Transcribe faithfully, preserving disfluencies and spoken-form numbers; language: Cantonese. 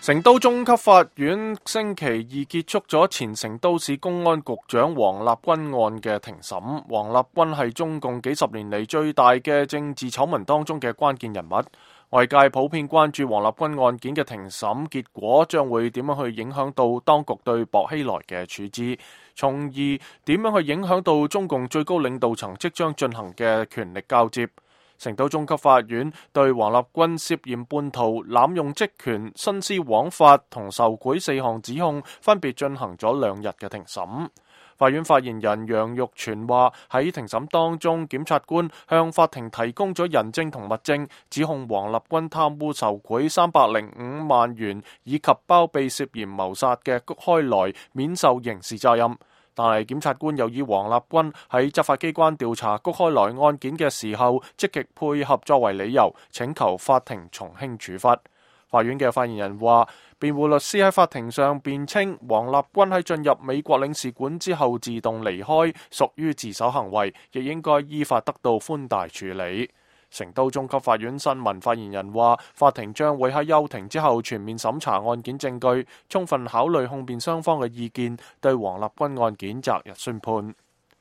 成都中級法院星期二結束咗前成都市公安局長王立軍案嘅庭審。王立軍係中共幾十年嚟最大嘅政治醜聞當中嘅關鍵人物。外界普遍關注王立軍案件嘅庭審結果將會點樣去影響到當局對薄熙來嘅處置，從而點樣去影響到中共最高領導層即將進行嘅權力交接。成都中級法院對王立軍涉嫌叛徒、濫用職權、徇私枉法同受賄四項指控，分別進行咗兩日嘅庭審。法院發言人楊玉全話：喺庭審當中，檢察官向法庭提供咗人證同物證，指控王立軍貪污受賄三百零五萬元，以及包庇涉嫌謀殺嘅谷開來免受刑事責任。但係檢察官又以王立軍喺執法機關調查谷開來案件嘅時候積極配合作為理由，請求法庭從輕處罰。法院嘅發言人話，辯護律師喺法庭上辯稱，王立軍喺進入美國領事館之後自動離開，屬於自首行為，亦應該依法得到寬大處理。成都中級法院新聞發言人話，法庭將會喺休庭之後全面審查案件證據，充分考慮控辯雙方嘅意見，對王立軍案件擇日宣判。